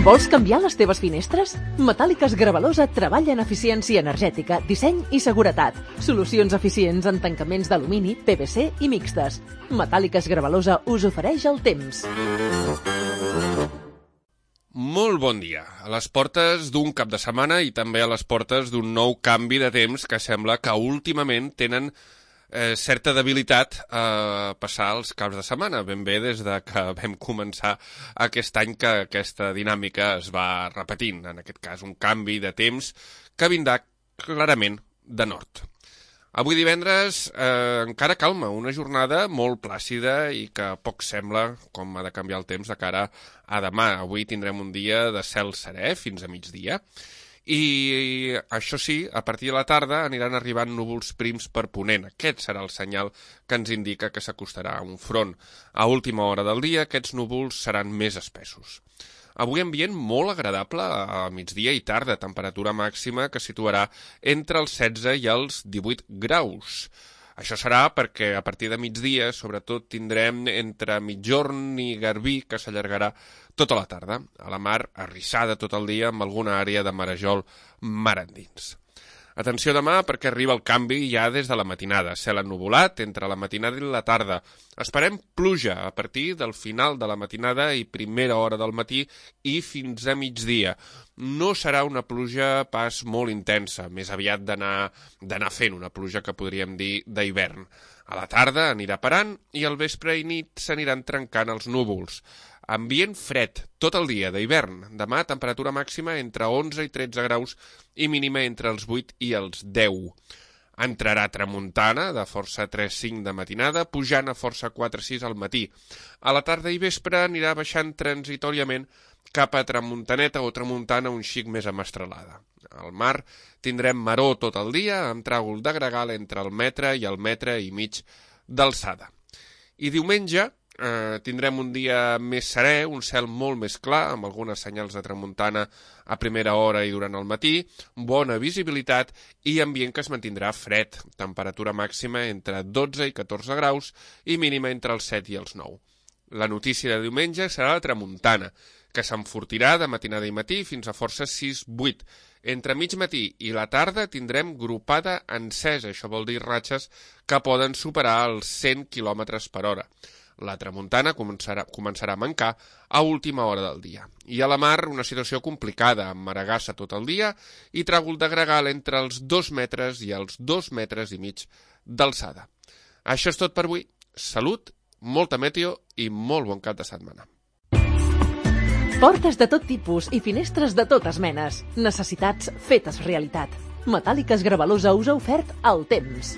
Vols canviar les teves finestres? Metàl·liques Gravalosa treballa en eficiència energètica, disseny i seguretat. Solucions eficients en tancaments d'alumini, PVC i mixtes. Metàl·liques Gravalosa us ofereix el temps. Molt bon dia. A les portes d'un cap de setmana i també a les portes d'un nou canvi de temps que sembla que últimament tenen certa debilitat a passar els caps de setmana, ben bé des de que vam començar aquest any que aquesta dinàmica es va repetint, en aquest cas un canvi de temps que vindrà clarament de nord. Avui divendres encara calma, una jornada molt plàcida i que poc sembla com ha de canviar el temps de cara a demà. Avui tindrem un dia de cel serè fins a migdia. I això sí, a partir de la tarda aniran arribant núvols prims per ponent. Aquest serà el senyal que ens indica que s'acostarà un front. A última hora del dia aquests núvols seran més espessos. Avui ambient molt agradable a migdia i tarda, temperatura màxima que situarà entre els 16 i els 18 graus. Això serà perquè a partir de migdia, sobretot, tindrem entre migjorn i garbí que s'allargarà tota la tarda. A la mar, arrissada tot el dia amb alguna àrea de marejol mar endins. Atenció demà perquè arriba el canvi ja des de la matinada. Cel ennuvolat entre la matinada i la tarda. Esperem pluja a partir del final de la matinada i primera hora del matí i fins a migdia. No serà una pluja pas molt intensa, més aviat d'anar fent una pluja que podríem dir d'hivern. A la tarda anirà parant i al vespre i nit s'aniran trencant els núvols. Ambient fred tot el dia d'hivern. Demà temperatura màxima entre 11 i 13 graus i mínima entre els 8 i els 10. Entrarà tramuntana de força 3-5 de matinada, pujant a força 4-6 al matí. A la tarda i vespre anirà baixant transitoriament cap a tramuntaneta o tramuntana un xic més amastralada. Al mar tindrem maror tot el dia amb tràgol de gregal entre el metre i el metre i mig d'alçada. I diumenge tindrem un dia més serè, un cel molt més clar, amb algunes senyals de tramuntana a primera hora i durant el matí, bona visibilitat i ambient que es mantindrà fred, temperatura màxima entre 12 i 14 graus i mínima entre els 7 i els 9. La notícia de diumenge serà la tramuntana, que s'enfortirà de matinada i matí fins a força 6-8. Entre mig matí i la tarda tindrem gropada encesa, això vol dir ratxes que poden superar els 100 km per hora. La tramuntana començarà a mancar a última hora del dia. I a la mar una situació complicada, amb maregassa tot el dia i tràgol de gregal entre els 2 metres i els 2 metres i mig d'alçada. Això és tot per avui. Salut, molta meteo i molt bon cap de setmana. Portes de tot tipus i finestres de totes menes. Necessitats fetes realitat. Metàl·liques Gravalosa us ha ofert el temps.